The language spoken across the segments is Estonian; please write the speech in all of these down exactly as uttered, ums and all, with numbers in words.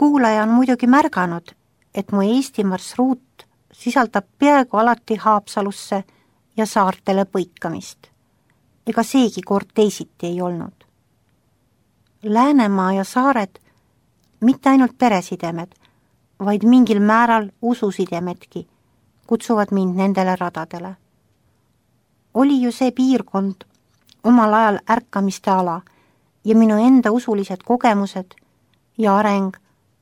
Kuulaja on muidugi märganud, et mu Eesti marsruut sisaldab peaaegu alati Haapsalusse ja saartele põikamist. Ega seegi kord teisiti ei olnud. Läänemaa ja saared mitte ainult peresidemed, vaid mingil määral ususidemedki kutsuvad mind nendele radadele. Oli ju see piirkond omal ajal ärkamiste ala ja minu enda usulised kogemused ja areng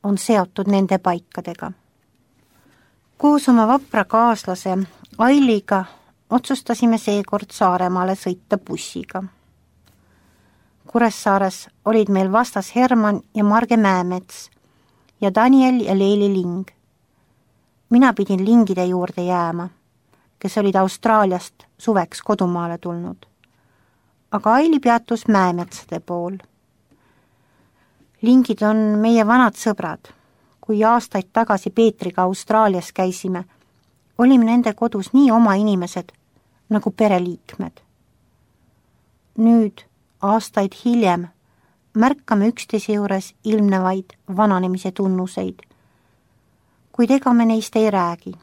on seotud nende paikadega. Koos oma vapra kaaslase Ailiga otsustasime seekord Saaremaale sõita bussiga. Kuressaares olid meil vastas Herman ja Marge Mäemets ja Daniel ja Leeli Ling. Mina pidin Lingide juurde jääma, kes olid Austraaliast suveks kodumaale tulnud. Aga Aili peatus Mäemetsade pool. Lingid on meie vanad sõbrad. Kui aastaid tagasi Peetriga Austraalias käisime, olime nende kodus nii oma inimesed nagu pereliikmed. Nüüd, aastaid hiljem, märkame üksteise juures ilmnevaid vananemise tunnuseid, kuid ega me neist ei räägi.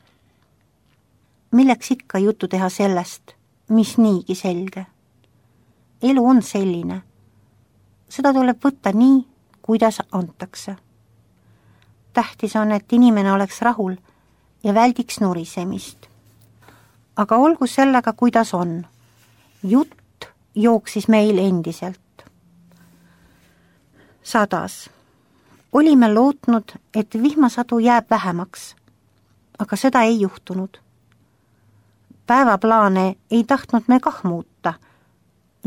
Milleks ikka juttu teha sellest, mis niigi selge? Elu on selline. Seda tuleb võtta nii, kuidas antakse. Tähtis on, et inimene oleks rahul ja väldiks nurisemist. Aga olgu sellega, kuidas on. Jutt jooksis meil endiselt. Sadas. Olime lootnud, et vihmasadu jääb vähemaks, aga seda ei juhtunud. Päevaplaane ei tahtnud me kah muuta,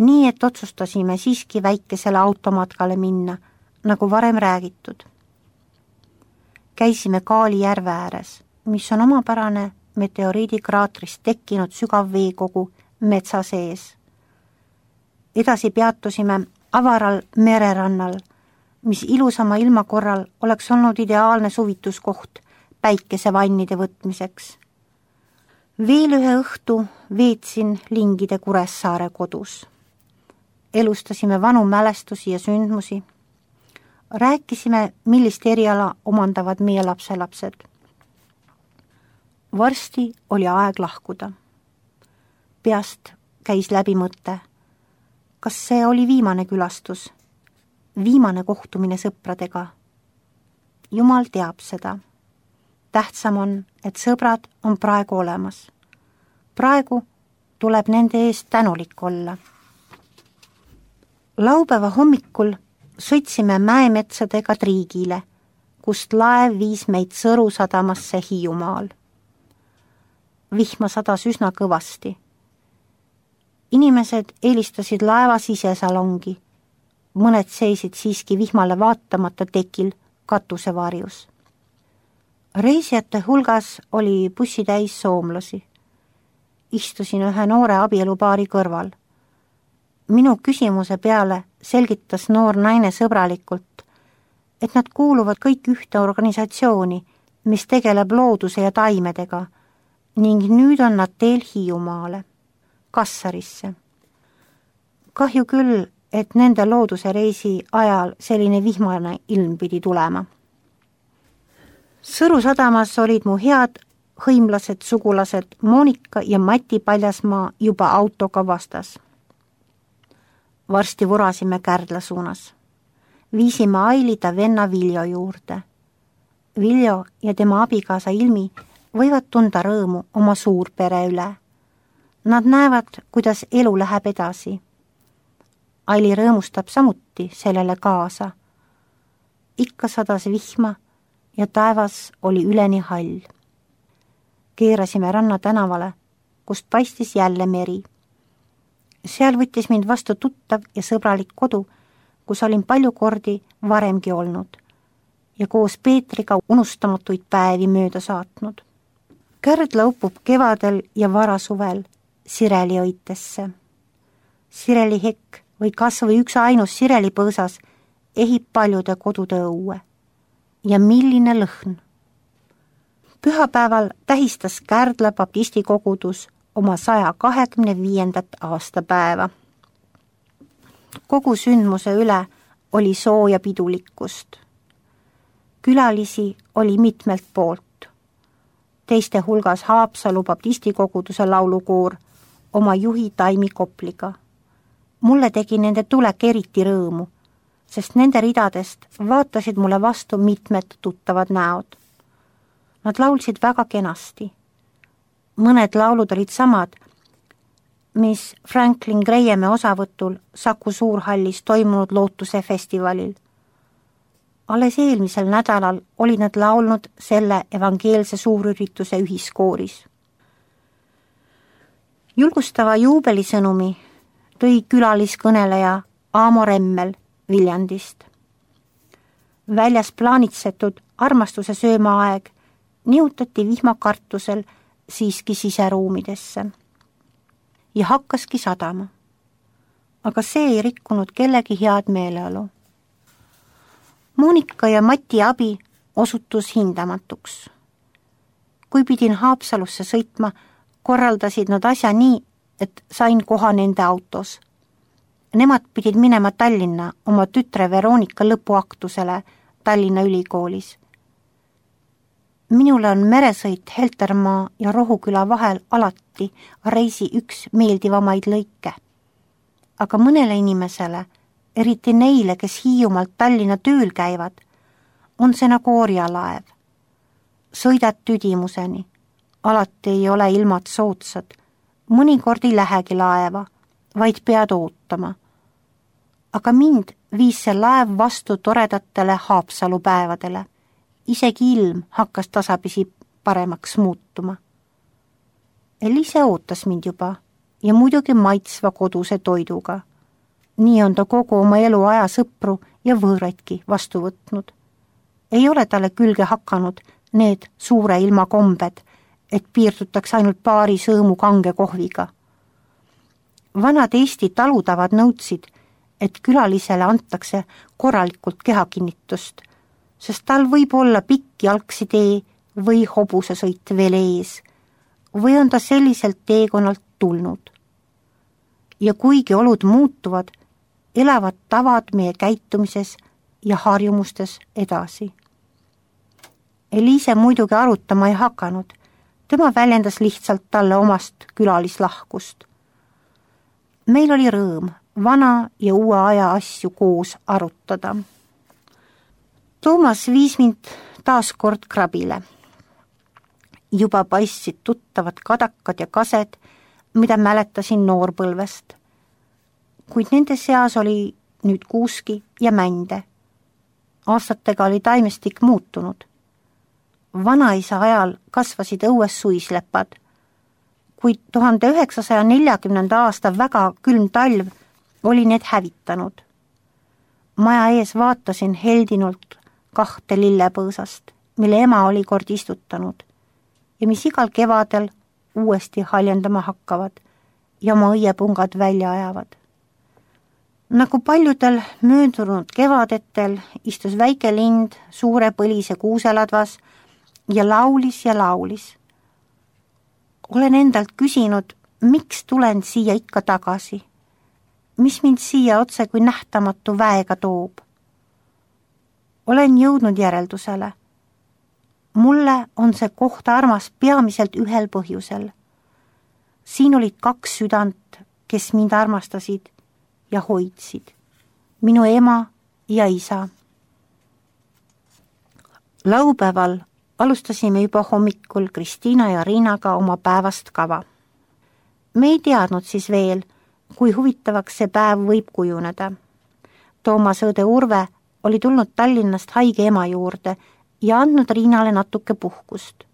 nii et otsustasime siiski väikesele automatkale minna, nagu varem räägitud. Käisime Kaali järve ääres, mis on omapärane meteoriidikraatrist tekkinud sügav veekogu metsa sees. Edasi peatusime avaral mererannal, mis ilusama ilma korral oleks olnud ideaalne suvituskoht päikesevannide võtmiseks. Veel ühe õhtu veetsin Lingide Kuressaare kodus. Elustasime vanu mälestusi ja sündmusi. Rääkisime, millist eriala omandavad meie lapselapsed. Varsti oli aeg lahkuda. Peast käis läbi mõte. Kas see oli viimane külastus? Viimane kohtumine sõpradega? Jumal teab seda. Tähtsam on, et sõbrad on praegu olemas. Praegu tuleb nende eest tänulik olla. Laupäeva hommikul sõitsime Mäemetsadega Triigile, kust laev viis meid Sõru sadamasse Hiiumaal. Vihma sadas üsna kõvasti. Inimesed eelistasid laeva sisesalongi. Mõned seisid siiski vihmale vaatamata tekil katusevarjus. Reisijate hulgas oli bussi täis soomlasi. Istusin ühe noore abielupaari kõrval. Minu küsimuse peale selgitas noor naine sõbralikult, et nad kuuluvad kõik ühte organisatsiooni, mis tegeleb looduse ja taimedega, ning nüüd on nad teel Hiiumaale, Kassarisse. Kahju küll, et nende looduse reisi ajal selline vihmane ilm pidi tulema. Sõru sadamas olid mu head hõimlased sugulased Monika ja Mati Paljasmaa juba autoga vastas. Varsti vurasime Kärdla suunas. Viisime Aili ta venna Viljo juurde. Viljo ja tema abikaasa Ilmi võivad tunda rõõmu oma suurpere üle. Nad näevad, kuidas elu läheb edasi. Aili rõõmustab samuti sellele kaasa. Ikka sadas vihma ja taevas oli üleni hall. Keerasime ranna tänavale, kust paistis jälle meri. Seal võttis mind vastu tuttav ja sõbralik kodu, kus olin palju kordi varemgi olnud ja koos Peetriga unustamatuid päevi mööda saatnud. Kärdla upub kevadel ja varasuvel sireliõitesse. Sirelihekk või kas või üks ainus sirelipõõsas ehib paljude kodude õue. Ja milline lõhn! Pühapäeval tähistas Kärdla baptisti kogudus oma saja kahekümne viiendat aastapäeva. Kogu sündmuse üle oli sooja pidulikkust. Külalisi oli mitmelt poolt. Teiste hulgas Haapsalu baptistikoguduse laulukoor oma juhi Taimi Kopliga. Mulle tegi nende tulek eriti rõõmu, sest nende ridadest vaatasid mulle vastu mitmed tuttavad näod. Nad laulsid väga kenasti. Mõned laulud olid samad, mis Franklin Grahami osavõtul Saku Suurhallis toimunud Lootuse festivalil. Alles eelmisel nädalal olid nad laulnud selle evangeelse suurürituse ühiskooris. Julgustava juubelisõnumi tõi külaliskõneleja Aamo Remmel Viljandist. Väljas plaanitsetud armastuse söömaaeg nihutati vihmakartusel siiski siseruumidesse ja hakkaski sadama. Aga see ei rikkunud kellegi head meeleolu. Monika ja Mati abi osutus hindamatuks. Kui pidin Haapsalusse sõitma, korraldasid nad asja nii, et sain koha nende autos. Nemad pidid minema Tallinna oma tütre Veronika lõpuaktusele Tallinna Ülikoolis. Minule on meresõit Heltermaa ja Rohuküla vahel alati reisi üks meeldivamaid lõike. Aga mõnele inimesele, eriti neile, kes Hiiumaalt Tallinna tööl käivad, on see nagu orjalaev. Sõidad tüdimuseni, alati ei ole ilmad soodsad, mõnikord ei lähegi laeva, vaid pead ootama. Aga mind viis see laev vastu toredatele Haapsalu päevadele. Isegi ilm hakkas tasapisi paremaks muutuma. Elise ootas mind juba ja muidugi maitsva koduse toiduga. Nii on ta kogu oma elu aja sõpru ja võõraidki vastu võtnud. Ei ole talle külge hakanud need suure ilma kombed, et piirdutaks ainult paari sõõmu kange kohviga. Vanad Eesti talutavad nõudsid, et külalisele antakse korralikult kehakinnitust, sest tal võib olla pikk jalgsidee või hobusesõit veel ees, või on ta selliselt teekonnalt tulnud. Ja kuigi olud muutuvad, elavad tavad meie käitumises ja harjumustes edasi. Elise muidugi arutama ei hakanud, tema väljendas lihtsalt talle omast külalislahkust. Meil oli rõõm vana ja uue aja asju koos arutada. Toomas viis mind taas kord krabile. Juba paistsid tuttavad kadakad ja kased, mida mäletasin noorpõlvest. Kuid nende seas oli nüüd kuuski ja mände. Aastatega oli taimestik muutunud. Vanaisa ajal kasvasid õues suislepad, kuid tuhande üheksasaja neljakümnenda aasta väga külm talv oli need hävitanud. Maja ees vaatasin heldinult kahte lillepõõsast, mille ema oli kord istutanud ja mis igal kevadel uuesti haljendama hakkavad ja oma õiepungad välja ajavad. Nagu paljudel möödunud kevadetel istus väike lind suure põlise kuuseladvas ja laulis ja laulis. Olen endalt küsinud, miks tulen siia ikka tagasi, mis mind siia otse kui nähtamatu väega toob. Olen jõudnud järeldusele. Mulle on see koht armas peamiselt ühel põhjusel. Siin olid kaks südant, kes mind armastasid ja hoidsid. Minu ema ja isa. Laupäeval alustasime juba hommikul Kristiina ja Riinaga oma päevast kava. Me ei teadnud siis veel, kui huvitavaks see päev võib kujuneda. Toomas õde Urve oli tulnud Tallinnast haige ema juurde ja andnud Riinale natuke puhkust.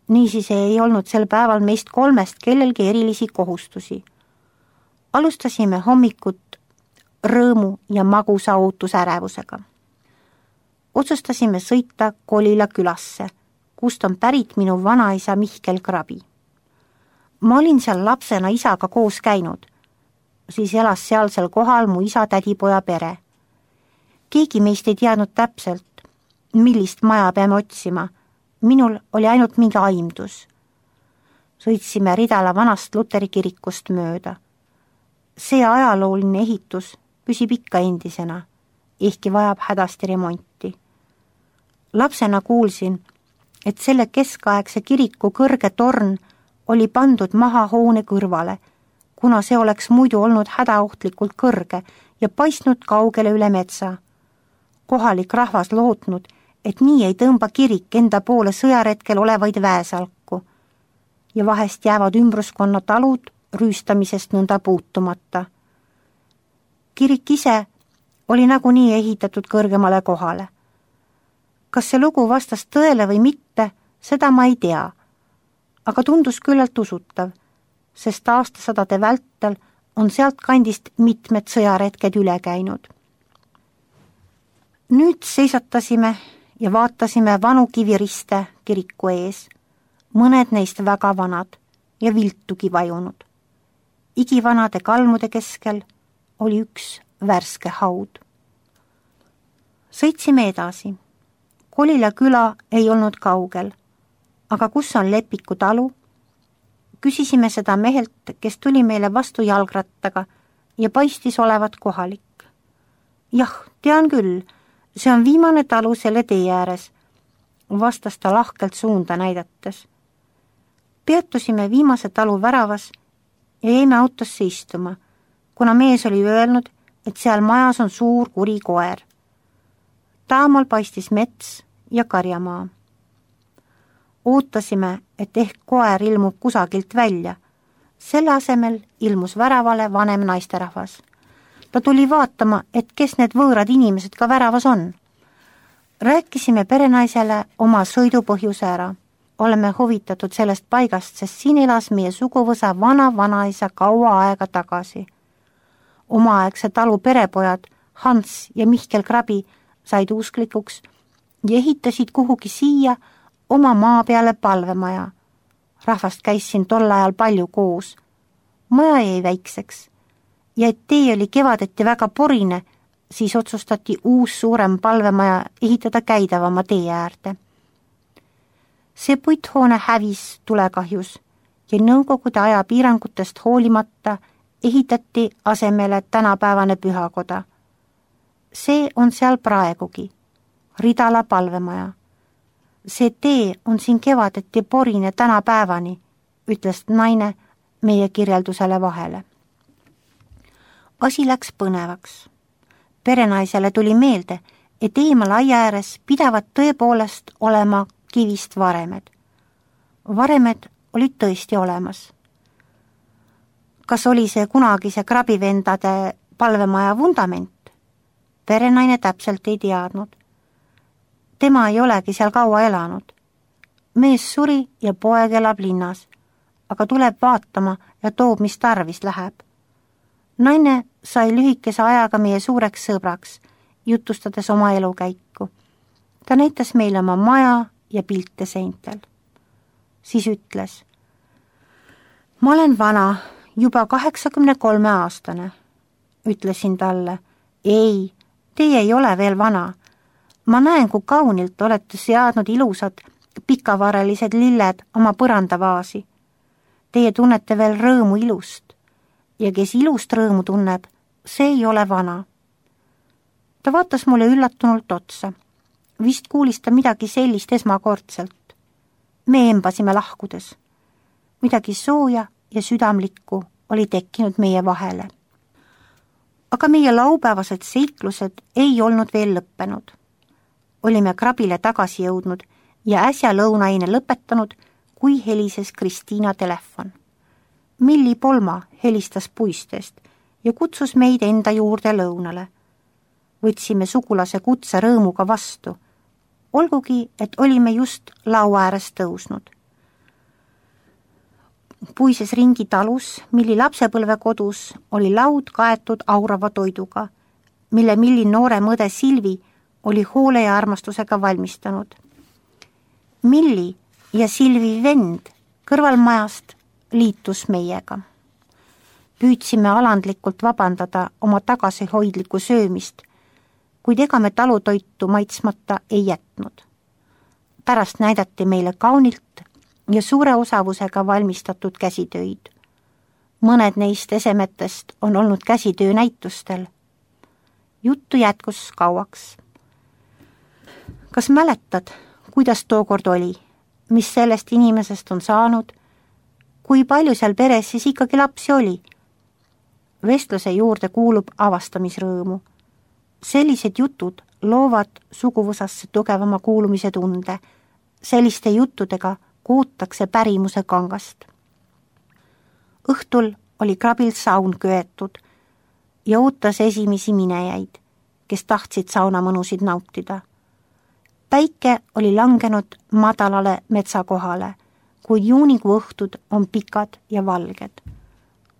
Niisiis ei olnud sel päeval meist kolmest kellelgi erilisi kohustusi. Alustasime hommikut rõõmu ja magusa ootusärevusega. Otsustasime sõita Kolila külasse, kust on pärit minu vanaisa Mihkel Krabi. Ma olin seal lapsena isaga koos käinud, siis elas sealsel kohal mu isa tädipoja pere. Keegi meist ei teadnud täpselt, millist maja peame otsima. Minul oli ainult mingi aimdus. Sõitsime Ridala vanast Luteri kirikust mööda. See ajalooline ehitus püsib ikka endisena, ehkki vajab hädasti remonti. Lapsena kuulsin, et selle keskaegse kiriku kõrge torn oli pandud maha hoone kõrvale, kuna see oleks muidu olnud hädaohtlikult kõrge ja paistnud kaugele üle metsa. Kohalik rahvas lootnud, et nii ei tõmba kirik enda poole sõjaretkel olevaid väesalku ja vahest jäävad ümbruskonna talud rüüstamisest nõnda puutumata. Kirik ise oli nagunii ehitatud kõrgemale kohale. Kas see lugu vastas tõele või mitte, seda ma ei tea, aga tundus küllalt usutav, sest aastasadade vältel on sealt kandist mitmed sõjaretked üle käinud. Nüüd seisatasime ja vaatasime vanu kiviriste kiriku ees, mõned neist väga vanad ja viltugi vajunud. Igivanade kalmude keskel oli üks värske haud. Sõitsime edasi. Kolila küla ei olnud kaugel, aga kus on Lepiku talu? Küsisime seda mehelt, kes tuli meile vastu jalgrattaga ja paistis olevat kohalik. Jah, tean küll, see on viimane talu selle tee ääres, vastas ta lahkelt suunda näidates. Peatusime viimase talu väravas ja jäime autosse istuma, kuna mees oli öelnud, et seal majas on suur kuri koer. Taamal paistis mets ja karjamaa. Ootasime, et ehk koer ilmub kusagilt välja. Selle asemel ilmus väravale vanem naisterahvas. Ta tuli vaatama, et kes need võõrad inimesed ka väravas on. Rääkisime perenaisele oma sõidupõhjuse ära. Oleme huvitatud sellest paigast, sest siin elas meie suguvõsa vana-vanaisa kaua aega tagasi. Omaaegse talu perepojad Hans ja Mihkel Krabi said usklikuks ja ehitasid kuhugi siia oma maa peale palvemaja. Rahvast käis siin tol ajal palju koos. Maja jäi väikseks ja et tee oli kevadeti väga porine, siis otsustati uus suurem palvemaja ehitada käidavama tee äärde. See puithoone hävis tulekahjus ja nõukogude aja piirangutest hoolimata ehitati asemele tänapäevane pühakoda. See on seal praegugi, Ridala palvemaja. See tee on siin kevadeti porine tänapäevani, ütles naine meie kirjeldusele vahele. Asi läks põnevaks. Perenaisele tuli meelde, et eemal aia ääres pidavad tõepoolest olema kivist varemed. Varemed olid tõesti olemas. Kas oli see kunagise krabivendade palvemaja vundament? Perenaine täpselt ei teadnud. Tema ei olegi seal kaua elanud. Mees suri ja poeg elab linnas, aga tuleb vaatama ja toob, mis tarvis läheb. Naine sai lühikese ajaga meie suureks sõbraks, jutustades oma elukäiku. Ta näitas meile oma maja ja pilte seintel. Siis ütles, ma olen vana, juba kaheksakümne kolme aastane. Ütlesin talle, ei, teie ei ole veel vana. Ma näen, kui kaunilt olete seadnud ilusad pikavarelised lilled oma põrandavaasi. Teie tunnete veel rõõmu ilust ja kes ilust rõõmu tunneb, see ei ole vana. Ta vaatas mulle üllatunult otsa. Vist kuulis ta midagi sellist esmakordselt. Me embasime lahkudes. Midagi sooja ja südamlikku oli tekkinud meie vahele. Aga meie laupäevased seiklused ei olnud veel lõppenud. Olime Krabile tagasi jõudnud ja äsja lõunaine lõpetanud, kui helises Kristiina telefon. Milli Polma helistas puistest ja kutsus meid enda juurde lõunale. Võtsime sugulase kutse rõõmuga vastu, olgugi, et olime just laua ääres tõusnud. Puises ringi talus, Milli lapsepõlvekodus, oli laud kaetud aurava toiduga, mille Milli noore mõde Silvi oli hoole ja armastusega valmistanud. Milli ja Silvi vend kõrvalmajast liitus meiega. Püüdsime alandlikult vabandada oma tagasihoidliku söömist, kuid ega me talutoitu maitsmata ei jätnud. Pärast näidati meile kaunilt ja suure osavusega valmistatud käsitöid. Mõned neist esemetest on olnud käsitöö näitustel. Juttu jätkus kauaks. kas mäletad, kuidas tookord oli, mis sellest inimesest on saanud, kui palju seal peres siis ikkagi lapsi oli? Vestluse juurde kuulub avastamisrõõmu. Sellised jutud loovad suguvõsasse tugevama kuulumise tunde. Selliste juttudega kuutakse pärimuse kangast. Õhtul oli krabil saun köetud ja ootas esimesi minejaid, kes tahtsid sauna mõnusid nautida. Päike oli langenud madalale metsakohale, kuid juunikuu õhtud on pikad ja valged.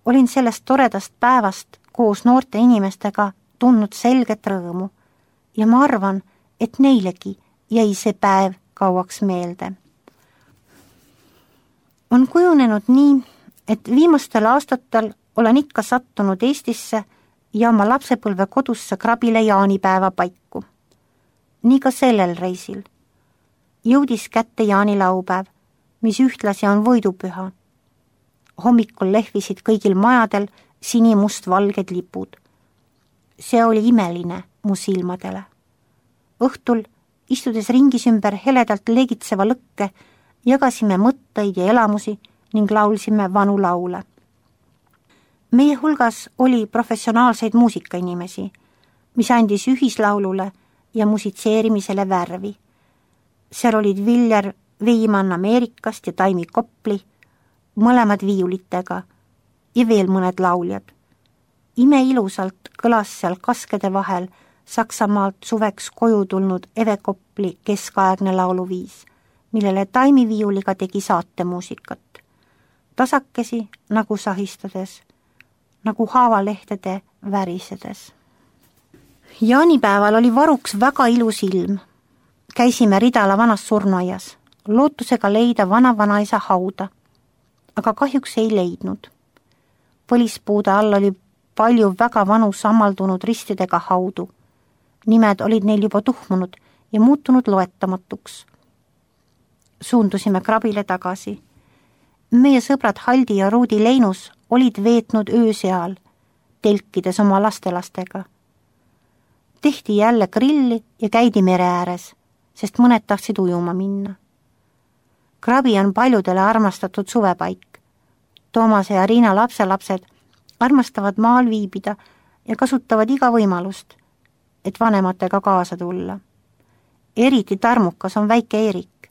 Olin sellest toredast päevast koos noorte inimestega tundnud selget rõõmu ja ma arvan, et neilegi jäi see päev kauaks meelde. On kujunenud nii, et viimastel aastatel olen ikka sattunud Eestisse ja oma lapsepõlve kodusse krabile jaanipäeva paiku. Nii ka sellel reisil. Jõudis kätte jaanilaupäev, mis ühtlasi on võidupüha. Hommikul lehvisid kõigil majadel sinimust-valged lipud. See oli imeline mu silmadele. Õhtul, istudes ringis ümber heledalt legitseva lõkke, jagasime mõtteid ja elamusi ning laulsime vanu laule. Meie hulgas oli professionaalseid muusikainimesi, mis andis ühislaulule ja musitseerimisele värvi. Seal olid Viljar Veimann Ameerikast ja Taimi Kopli, mõlemad viiulitega ja veel mõned lauljad. Ime ilusalt kõlas seal kaskede vahel Saksamaalt suveks koju tulnud Eve Kopli keskaegne lauluviis, millele Taimi viiuliga tegi saatemuusikat. Tasakesi nagu sahistades, nagu haavalehtede värisedes. Jaanipäeval oli varuks väga ilus ilm. Käisime Ridala vanas surnuaias, lootusega leida vana-vanaisa hauda, aga kahjuks ei leidnud. Põlispuude all oli palju väga vanu sammaldunud ristidega haudu. Nimed olid neil juba tuhmunud ja muutunud loetamatuks. Suundusime krabile tagasi. Meie sõbrad Haldi ja Ruudi Leinus olid veetnud öö seal, telkides oma lastelastega. Tehti jälle grilli ja käidi mere ääres, sest mõned tahtsid ujuma minna. Krabi on paljudele armastatud suvepaik. Toomase ja Riina lapselapsed armastavad maal viibida ja kasutavad iga võimalust, et vanematega kaasa tulla. Eriti tarmukas on väike Eerik.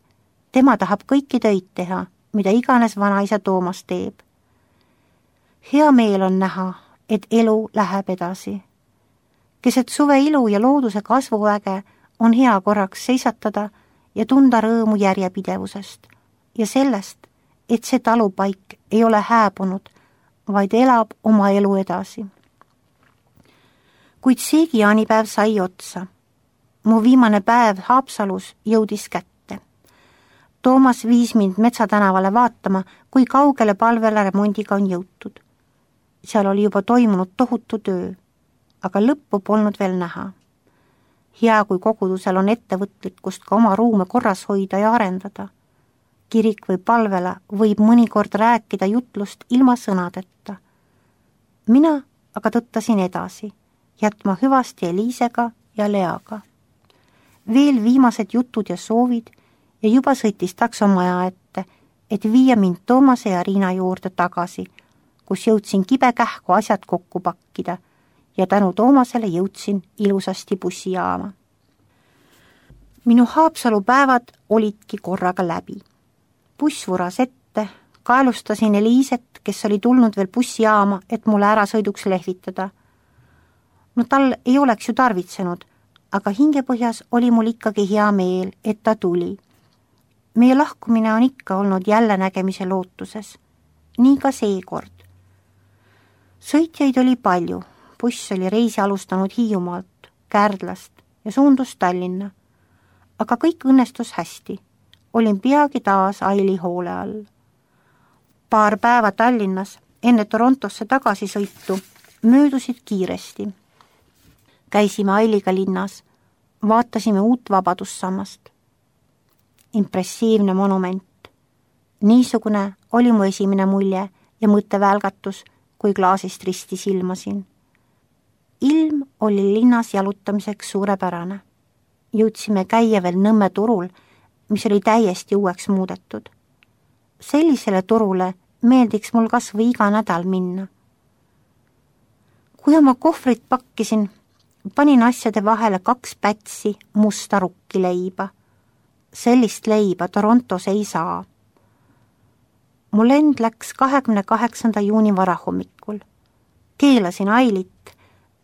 Tema tahab kõiki töid teha, mida iganes vanaisa Toomas teeb. Hea meel on näha, et elu läheb edasi. Keset suve ilu ja looduse kasvuväge on hea korraks seisatada ja tunda rõõmu järjepidevusest ja sellest, et see talupaik ei ole hääbunud, vaid elab oma elu edasi. Kuid seegi jaanipäev sai otsa. Mu viimane päev Haapsalus jõudis kätte. Toomas viis mind Metsatänavale vaatama, kui kaugele palvele remondiga on jõutud. Seal oli juba toimunud tohutu töö, aga lõppu polnud veel näha. Hea, kui kogudusel on ettevõtlikkust ka oma ruume korras hoida ja arendada. Kirik või palvele võib mõnikord rääkida jutlust ilma sõnadeta. Mina aga tõttasin edasi, jätma hüvasti Eliisega ja Leaga. Veel viimased jutud ja soovid ja juba sõitis taksomaja ette, et viia mind Toomase ja Riina juurde tagasi, kus jõudsin kibekähku asjad kokku pakkida ja tänu Toomasele jõudsin ilusasti bussijaama. Minu Haapsalu päevad olidki korraga läbi. Buss vuras ette, kaelustasin Eliiset, kes oli tulnud veel bussijaama, et mulle ära sõiduks lehvitada. No tal ei oleks ju tarvitsenud, aga hingepõhjas oli mul ikkagi hea meel, et ta tuli. Meie lahkumine on ikka olnud jälle nägemise lootuses. Nii ka seekord. Sõitjaid oli palju. Buss oli reisi alustanud Hiiumaalt, Kärdlast ja suundus Tallinna. Aga kõik õnnestus hästi. Olin peagi taas Aili hoole all. Paar päeva Tallinnas enne Torontosse tagasisõitu möödusid kiiresti. Käisime Ailiga linnas, vaatasime uut Vabadussammast. Impressiivne monument. Niisugune oli mu esimene mulje ja mõttevälgatus, kui klaasist risti silmasin. Ilm oli linnas jalutamiseks suurepärane. jõudsime käia veel Nõmme turul, mis oli täiesti uueks muudetud. Sellisele turule meeldiks mul kas või iga nädal minna. Kui oma kohvrit pakkisin, panin asjade vahele kaks pätsi musta rukkileiba. Sellist leiba Torontos ei saa. Mu lend läks kahekümne kaheksanda juuni varahommikul. Keelasin Ailit,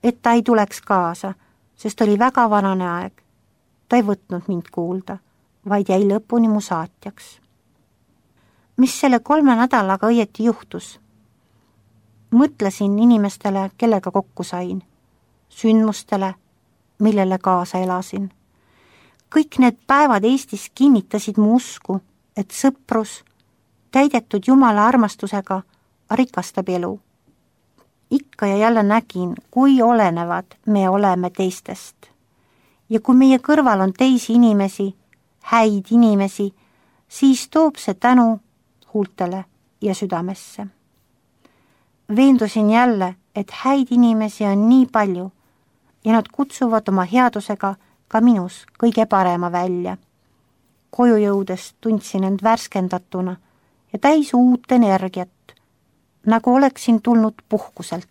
et ta ei tuleks kaasa, sest oli väga vanane aeg. Ta ei võtnud mind kuulda, vaid jäi lõpuni mu saatjaks. Mis selle kolme nädalaga õieti juhtus? Mõtlesin inimestele, kellega kokku sain, sündmustele, millele kaasa elasin. Kõik need päevad Eestis kinnitasid mu usku, et sõprus, täidetud Jumala armastusega, rikastab elu. Ikka ja jälle nägin, kui olenevad me oleme teistest. Ja kui meie kõrval on teisi inimesi, häid inimesi, siis toob see tänu huultele ja südamesse. Veendusin jälle, et häid inimesi on nii palju ja nad kutsuvad oma headusega ka minus kõige parema välja. Koju jõudes tundsin end värskendatuna ja täis uut energiat, nagu oleksin tulnud puhkuselt.